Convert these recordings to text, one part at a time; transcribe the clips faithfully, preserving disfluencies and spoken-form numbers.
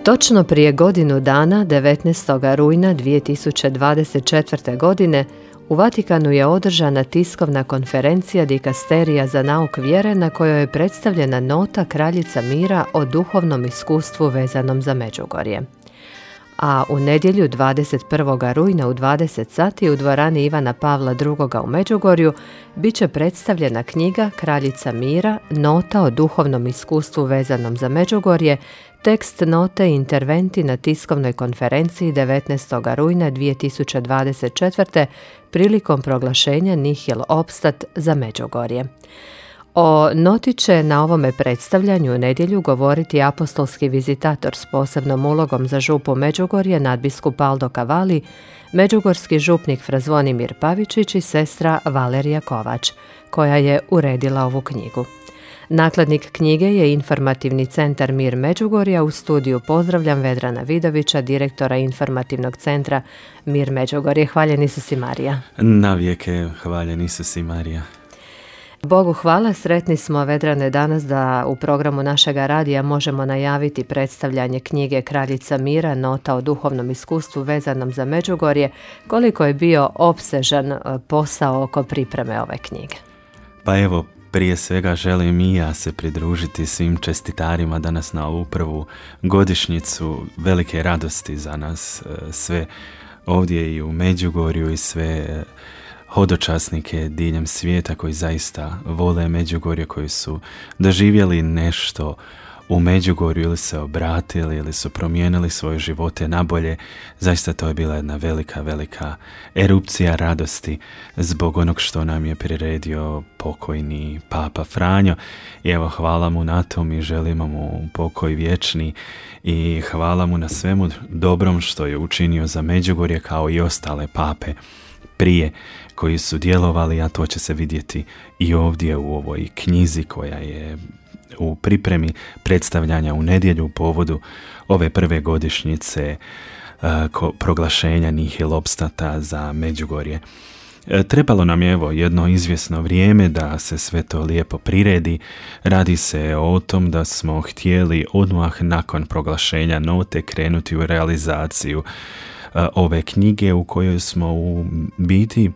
Točno prije godinu dana, devetnaestog rujna dvije tisuće dvadeset četvrte. godine, u Vatikanu je održana tiskovna konferencija Dikasterija za nauk vjere na kojoj je predstavljena nota Kraljica mira o duhovnom iskustvu vezanom za Međugorje. A u nedjelju dvadeset prvog rujna u dvadeset sati u dvorani Ivana Pavla drugoga u Međugorju bit će predstavljena knjiga Kraljica mira, nota o duhovnom iskustvu vezanom za Međugorje, tekst note i interventi na tiskovnoj konferenciji devetnaestog rujna dvije tisuće dvadeset četvrte. prilikom proglašenja Nihil Obstat za Međugorje. O noti će na ovome predstavljanju u nedjelju govoriti apostolski vizitator s posebnom ulogom za župu Međugorje, nadbiskup Aldo Cavalli, međugorski župnik fra Zvonimir Pavičić i sestra Valerija Kovač, koja je uredila ovu knjigu. Nakladnik knjige je Informativni centar Mir Međugorja. U studiju pozdravljam Vedrana Vidovića, direktora Informativnog centra Mir Međugorje. Hvaljen Isus i Marija. Navijeke hvaljen Isus i Marija. Bogu hvala, sretni smo, Vedrane, danas da u programu našega radija možemo najaviti predstavljanje knjige Kraljica mira, nota o duhovnom iskustvu vezanom za Međugorje. Koliko je bio opsežan posao oko pripreme ove knjige? Pa evo, prije svega želim i ja se pridružiti svim čestitarima danas na ovu prvu godišnjicu velike radosti za nas sve ovdje i u Međugorju i sve hodočasnike diljem svijeta koji zaista vole Međugorje, koji su doživjeli nešto u Međugorju ili se obratili ili su promijenili svoje živote na bolje. Zaista to je bila jedna velika, velika erupcija radosti zbog onog što nam je priredio pokojni Papa Franjo. I evo, hvala mu na tom i želimo mu pokoj vječni i hvala mu na svemu dobrom što je učinio za Međugorje kao i ostale pape prije koji su djelovali, a to će se vidjeti i ovdje u ovoj knjizi koja je u pripremi predstavljanja u nedjelju u povodu ove prve godišnjice uh, ko, proglašenja Nihil Obstata za Međugorje. E, trebalo nam je evo jedno izvjesno vrijeme da se sve to lijepo priredi. Radi se o tom da smo htjeli odmah nakon proglašenja note krenuti u realizaciju uh, ove knjige u kojoj smo u biti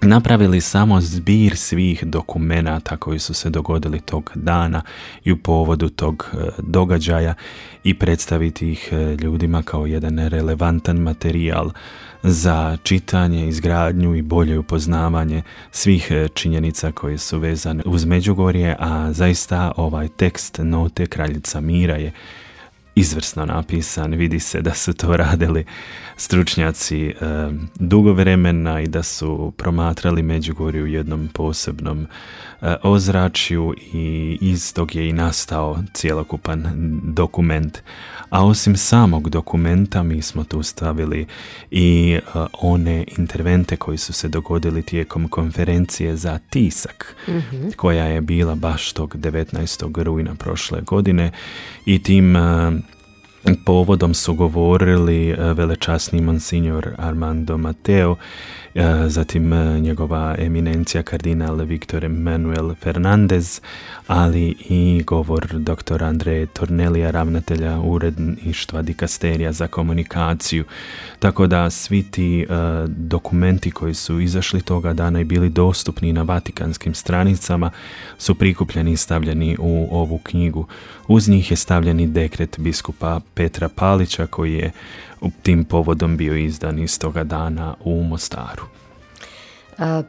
napravili samo zbir svih dokumenata koji su se dogodili tog dana i u povodu tog događaja i predstaviti ih ljudima kao jedan relevantan materijal za čitanje, izgradnju i bolje upoznavanje svih činjenica koje su vezane uz Međugorje, a zaista ovaj tekst note Kraljica mira je izvrsno napisan. Vidi se da su to radili stručnjaci e, dugo vremena i da su promatrali Međugorje u jednom posebnom e, ozračju i iz tog je i nastao cjelokupan dokument. A osim samog dokumenta mi smo tu stavili i e, one intervente koji su se dogodili tijekom konferencije za tisak, mm-hmm. koja je bila baš tog devetnaestog rujna prošle godine i tim e, povodom su govorili velečasni monsignor Armando Mateo, zatim njegova eminencija kardinal Viktor Manuel Fernandez, ali i govor doktora Andreja Tornelija, ravnatelja uredništva Dikasterija za komunikaciju. Tako da svi ti uh, dokumenti koji su izašli toga dana i bili dostupni na vatikanskim stranicama su prikupljeni i stavljeni u ovu knjigu. Uz njih je stavljeni dekret biskupa Petra Palića koji je tim povodom bio izdan istoga dana u Mostaru.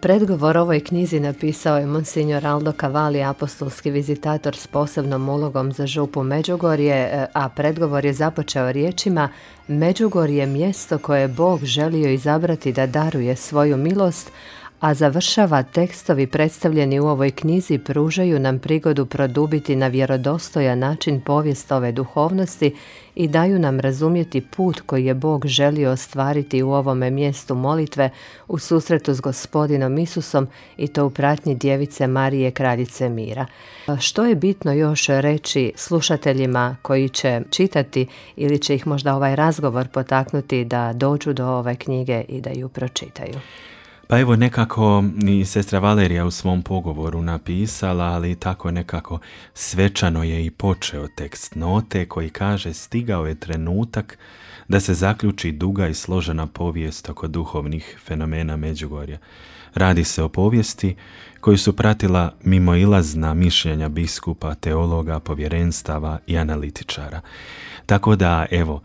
Predgovor ovoj knjizi napisao je monsignor Aldo Cavalli, apostolski vizitator s posebnom ulogom za župu Međugorje, a predgovor je započeo riječima: Međugorje je mjesto koje je Bog želio izabrati da daruje svoju milost, a završava: tekstovi predstavljeni u ovoj knjizi pružaju nam prigodu produbiti na vjerodostojan način povijest ove duhovnosti i daju nam razumjeti put koji je Bog želio ostvariti u ovome mjestu molitve u susretu s Gospodinom Isusom i to u pratnji Djevice Marije, Kraljice mira. Što je bitno još reći slušateljima koji će čitati ili će ih možda ovaj razgovor potaknuti da dođu do ove knjige i da ju pročitaju? Pa evo nekako i sestra Valerija u svom pogovoru napisala, ali tako nekako svečano je i počeo tekst note koji kaže: stigao je trenutak da se zaključi duga i složena povijest oko duhovnih fenomena Međugorja. Radi se o povijesti koju su pratila mimoilazna mišljenja biskupa, teologa, povjerenstava i analitičara. Tako da, evo,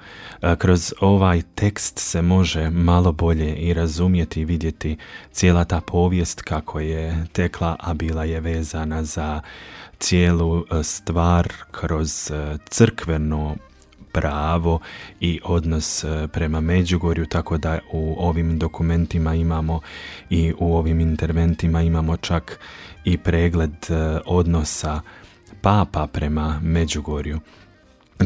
kroz ovaj tekst se može malo bolje i razumjeti i vidjeti cijela ta povijest kako je tekla, a bila je vezana za cijelu stvar kroz crkveno pravo i odnos prema Međugorju, tako da u ovim dokumentima imamo i u ovim interventima imamo čak i pregled odnosa papa prema Međugorju.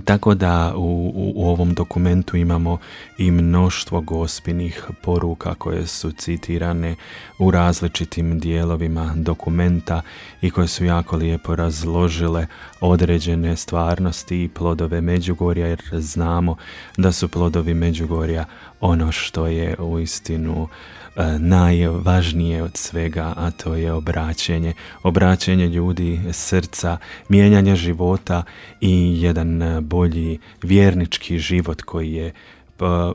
Tako da u, u, u ovom dokumentu imamo i mnoštvo gospinih poruka koje su citirane u različitim dijelovima dokumenta i koje su jako lijepo razložile određene stvarnosti i plodove Međugorja, jer znamo da su plodovi Međugorja ono što je uistinu najvažnije od svega, a to je obraćenje. Obraćenje ljudi, srca, mijenjanje života i jedan bolji vjernički život koji je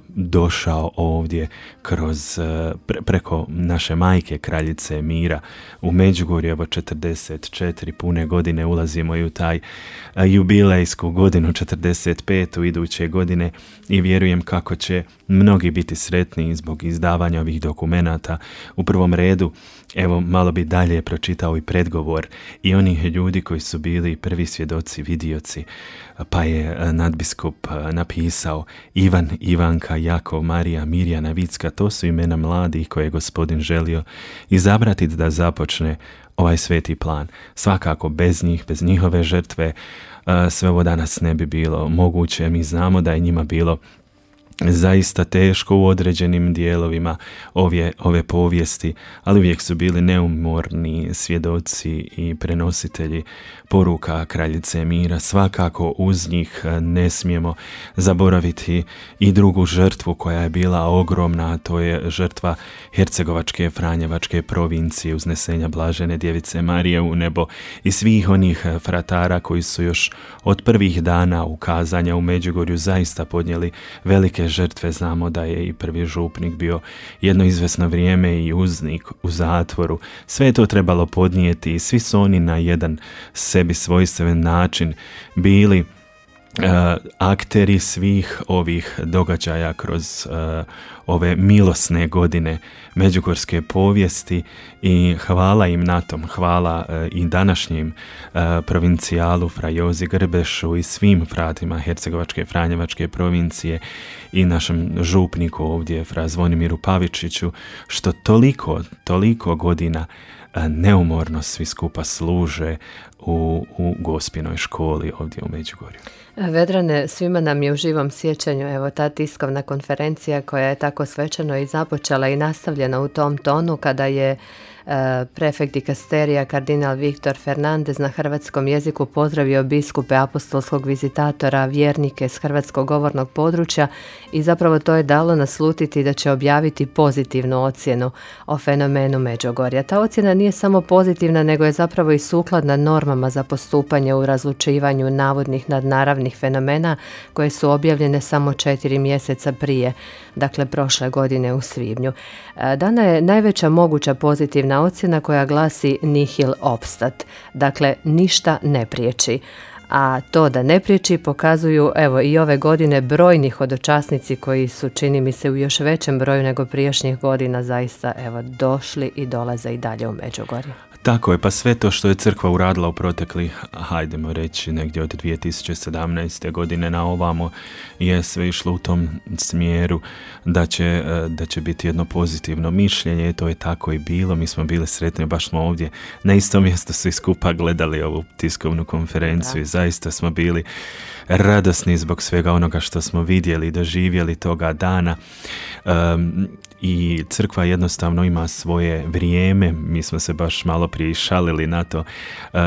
došao ovdje kroz pre, preko naše majke kraljice mira u Međugorju. Evo četrdeset četiri pune godine ulazimo i u taj jubilejsku godinu četrdeset petu iduće godine i vjerujem kako će mnogi biti sretni zbog izdavanja ovih dokumenata. U prvom redu, evo malo bi dalje pročitao i predgovor i onih ljudi koji su bili prvi svjedoci, vidioci, pa je nadbiskup napisao: Ivan, Ivanka, Jakov, Marija, Mirjana, Vicka, to su imena mladih koje je Gospodin želio izabrati da započne ovaj sveti plan. Svakako bez njih, bez njihove žrtve, sve ovo danas ne bi bilo moguće. Mi znamo da je njima bilo zaista teško u određenim dijelovima ove, ove povijesti, ali uvijek su bili neumorni svjedoci i prenositelji poruka kraljice mira. Svakako uz njih ne smijemo zaboraviti i drugu žrtvu koja je bila ogromna, a to je žrtva Hercegovačke Franjevačke provincije, uznesenja Blažene Djevice Marije u nebo i svih onih fratara koji su još od prvih dana ukazanja u Međugorju zaista podnijeli velike žrtve. Znamo da je i prvi župnik bio jedno izvesno vrijeme i uznik u zatvoru. Sve je to trebalo podnijeti i svi su oni na jedan sebi svojstven način bili uh, akteri svih ovih događaja kroz uh, ove milosne godine međugorske povijesti i hvala im na tom. Hvala uh, i današnjim uh, provincijalu fra Jozi Grbešu i svim fratima Hercegovačke Franjevačke provincije i našem župniku ovdje fra Zvonimiru Pavičiću, što toliko, toliko godina neumorno svi skupa služe u, u Gospinoj školi ovdje u Međugorju. Vedrane, svima nam je u živom sjećanju evo ta tiskovna konferencija koja je tako svečano i započela i nastavljena u tom tonu kada je prefekt dikasterija kardinal Viktor Fernandez na hrvatskom jeziku pozdravio biskupe apostolskog vizitatora, vjernike s hrvatskog govornog područja i zapravo to je dalo naslutiti da će objaviti pozitivnu ocjenu o fenomenu Međugorja. Ta ocjena nije samo pozitivna, nego je zapravo i sukladna normama za postupanje u razlučivanju navodnih nadnaravnih fenomena koje su objavljene samo četiri mjeseca prije, dakle prošle godine u svibnju. Dana je najveća moguća pozitivna ocjena koja glasi nihil obstat, dakle ništa ne priječi. A to da ne priječi pokazuju evo i ove godine brojni hodočasnici koji su, čini mi se, u još većem broju nego prijašnjih godina zaista evo došli i dolaze i dalje u Međugorje. Tako je, pa sve to što je crkva uradila u proteklih, hajdemo reći, negdje od dvije tisuće sedamnaeste. godine na ovamo je sve išlo u tom smjeru da će, da će biti jedno pozitivno mišljenje. To je tako i bilo. Mi smo bili sretni, baš smo ovdje na istom mjestu svi skupa gledali ovu tiskovnu konferenciju i zaista smo bili radosni zbog svega onoga što smo vidjeli i doživjeli toga dana. Um, I crkva jednostavno ima svoje vrijeme. Mi smo se baš malo prije šalili na to. Uh,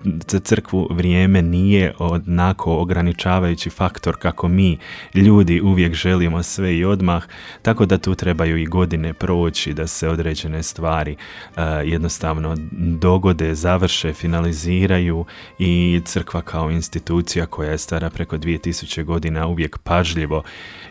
za crkvu vrijeme nije onako ograničavajući faktor kako mi ljudi uvijek želimo sve i odmah, tako da tu trebaju i godine proći da se određene stvari uh, jednostavno dogode, završe, finaliziraju i crkva kao institucija koja je stara preko dvije tisuće godina uvijek pažljivo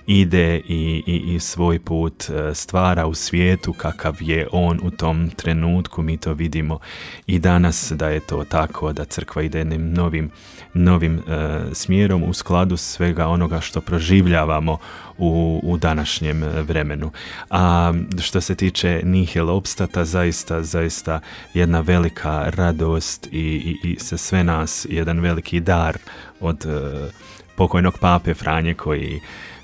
ide i, i, i svoj put stvara u svijetu kakav je on u tom trenutku. Mi to vidimo i danas da je to tako, da crkva ide jednim novim, novim uh, smjerom u skladu svega onoga što proživljavamo u, u današnjem vremenu. A što se tiče nihil opstata, zaista, zaista jedna velika radost i, i, i sa sve nas jedan veliki dar od uh, pokojnog pape Franje koji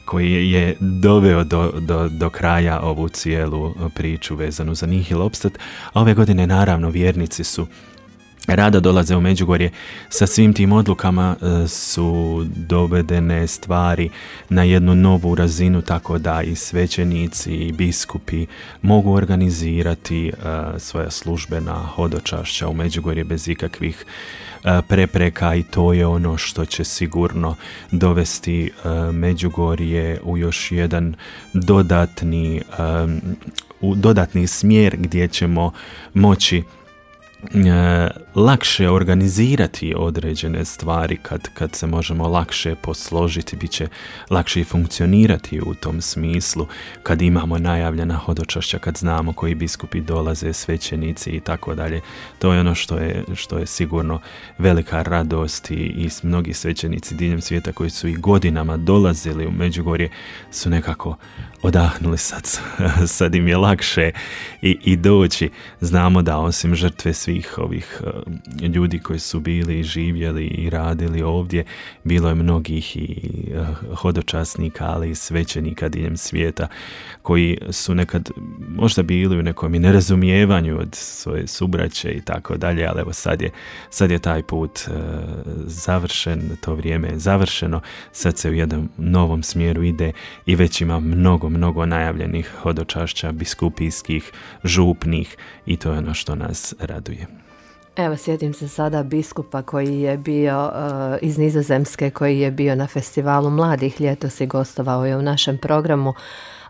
koji je doveo do, do, do kraja ovu cijelu priču vezanu za nihil opstat. A ove godine naravno vjernici su rado dolaze u Međugorje, sa svim tim odlukama su dovedene stvari na jednu novu razinu, tako da i svećenici i biskupi mogu organizirati uh, svoja službena hodočašća u Međugorje bez ikakvih uh, prepreka, i to je ono što će sigurno dovesti uh, Međugorje u još jedan dodatni, um, u dodatni smjer gdje ćemo moći E, lakše organizirati određene stvari kad, kad se možemo lakše posložiti, bit će lakše i funkcionirati u tom smislu kad imamo najavljena hodočašća, kad znamo koji biskupi dolaze, svećenici i tako dalje. To je ono što je, što je sigurno velika radost i, i mnogi svećenici diljem svijeta koji su i godinama dolazili u Međugorje su nekako odahnuli sad, sad im je lakše i, i doći. Znamo da osim žrtve svih ovih uh, ljudi koji su bili i živjeli i radili ovdje, bilo je mnogih i uh, hodočasnika, ali i svećenika diljem svijeta koji su nekad možda bili u nekom i nerazumijevanju od svoje subraće i tako dalje, ali evo sad je, sad je taj put uh, završen, to vrijeme je završeno, sad se u jednom novom smjeru ide i već ima mnogo, mnogo najavljenih hodočašća biskupijskih, župnih, i to je ono što nas raduje. Evo, sjetim se sada biskupa koji je bio uh, iz Nizozemske, koji je bio na festivalu mladih ljetos i gostovao je u našem programu.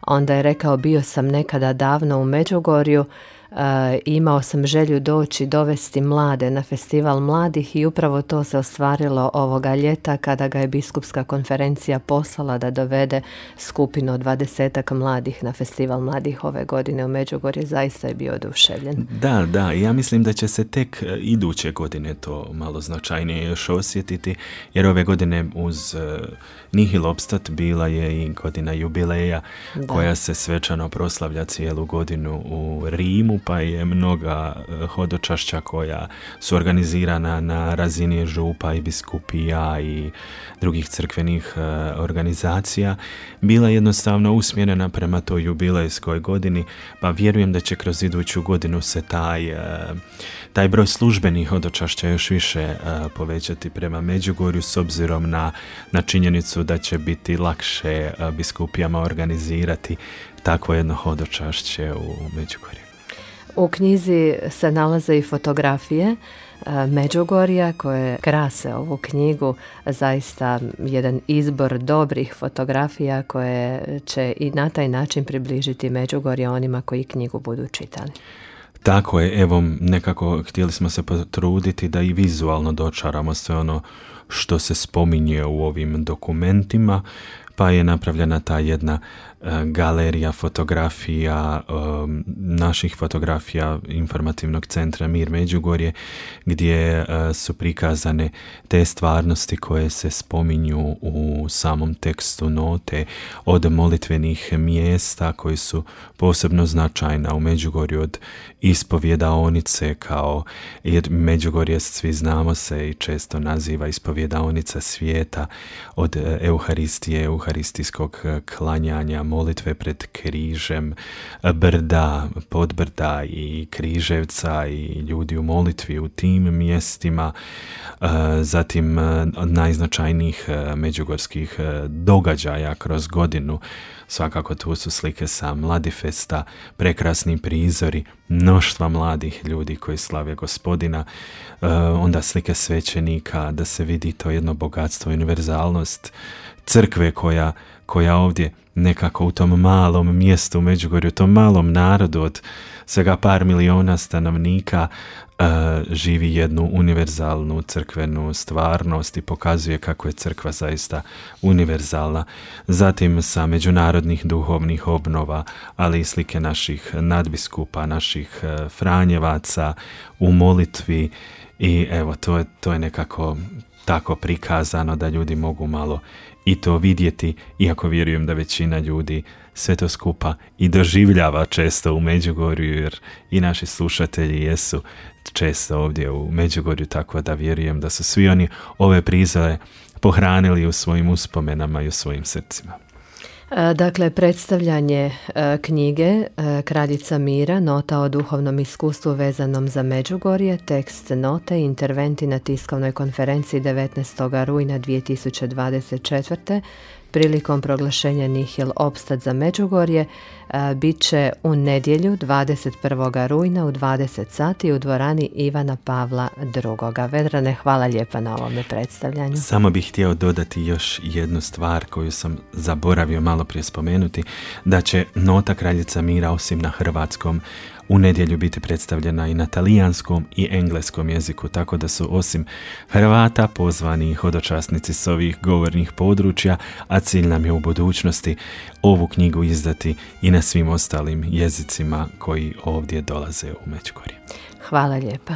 Onda je rekao, bio sam nekada davno u Međugorju, Uh, imao sam želju doći dovesti mlade na festival mladih i upravo to se ostvarilo ovoga ljeta kada ga je biskupska konferencija poslala da dovede skupinu od dvadesetak mladih na festival mladih ove godine u Međugorje. Zaista je bio oduševljen. Da, da, ja mislim da će se tek iduće godine to malo značajnije još osjetiti, jer ove godine uz uh, nihil opstat bila je i godina jubileja, da, koja se svečano proslavlja cijelu godinu u Rimu, pa je mnoga hodočašća koja su organizirana na razini župa i biskupija i drugih crkvenih organizacija bila jednostavno usmjerena prema toj jubilejskoj godini, pa vjerujem da će kroz iduću godinu se taj, taj broj službenih hodočašća još više povećati prema Međugorju, s obzirom na, na činjenicu da će biti lakše biskupijama organizirati takvo jedno hodočašće u Međugorju. U knjizi se nalaze i fotografije Međugorja koje krase ovu knjigu, zaista jedan izbor dobrih fotografija koje će i na taj način približiti Međugorje onima koji knjigu budu čitali. Tako je, evo nekako htjeli smo se potruditi da i vizualno dočaramo sve ono što se spominje u ovim dokumentima, pa je napravljena ta jedna uh, galerija fotografija, um, naših fotografija informativnog centra Mir Međugorje, gdje uh, su prikazane te stvarnosti koje se spominju u samom tekstu note, od molitvenih mjesta koji su posebno značajna u Međugorju, od ispovjedaonice, kao jer Međugorje, svi znamo, se i često naziva ispovjedaonica svijeta, od uh, Euharistije, euharistijskog klanjanja, molitve pred križem, brda, podbrda i križevca i ljudi u molitvi u tim mjestima, zatim od najznačajnijih međugorskih događaja kroz godinu. Svakako tu su slike sa Mladifesta, prekrasni prizori mnoštva mladih ljudi koji slave Gospodina, onda slike svećenika, da se vidi to jedno bogatstvo, univerzalnost crkve koja, koja ovdje nekako u tom malom mjestu u Međugorju, u tom malom narodu od svega par miliona stanovnika uh, živi jednu univerzalnu crkvenu stvarnost i pokazuje kako je crkva zaista univerzalna. Zatim sa međunarodnih duhovnih obnova, ali i slike naših nadbiskupa, naših uh, franjevaca u molitvi i evo, to je, to je nekako tako prikazano da ljudi mogu malo i to vidjeti, iako vjerujem da većina ljudi sve to skupa i doživljava često u Međugorju, jer i naši slušatelji jesu često ovdje u Međugorju, tako da vjerujem da su svi oni ove prizore pohranili u svojim uspomenama i u svojim srcima. Dakle, predstavljanje knjige Kraljica mira, nota o duhovnom iskustvu vezanom za Međugorje, tekst note i interventi na tiskovnoj konferenciji devetnaestog rujna dvije tisuće dvadeset četvrte prilikom proglašenja Nihil opstat za Međugorje bit će u nedjelju dvadeset prvog rujna u dvadeset sati u dvorani Ivana Pavla drugoga. Vedrane, hvala lijepa na ovome predstavljanju. Samo bih htio dodati još jednu stvar koju sam zaboravio malo prije spomenuti, da će nota Kraljica mira osim na hrvatskom u nedjelju biti predstavljena i na talijanskom i engleskom jeziku, tako da su osim Hrvata pozvani hodočasnici s ovih govornih područja, a cilj nam je u budućnosti ovu knjigu izdati i na svim ostalim jezicima koji ovdje dolaze u Međugorje. Hvala lijepa.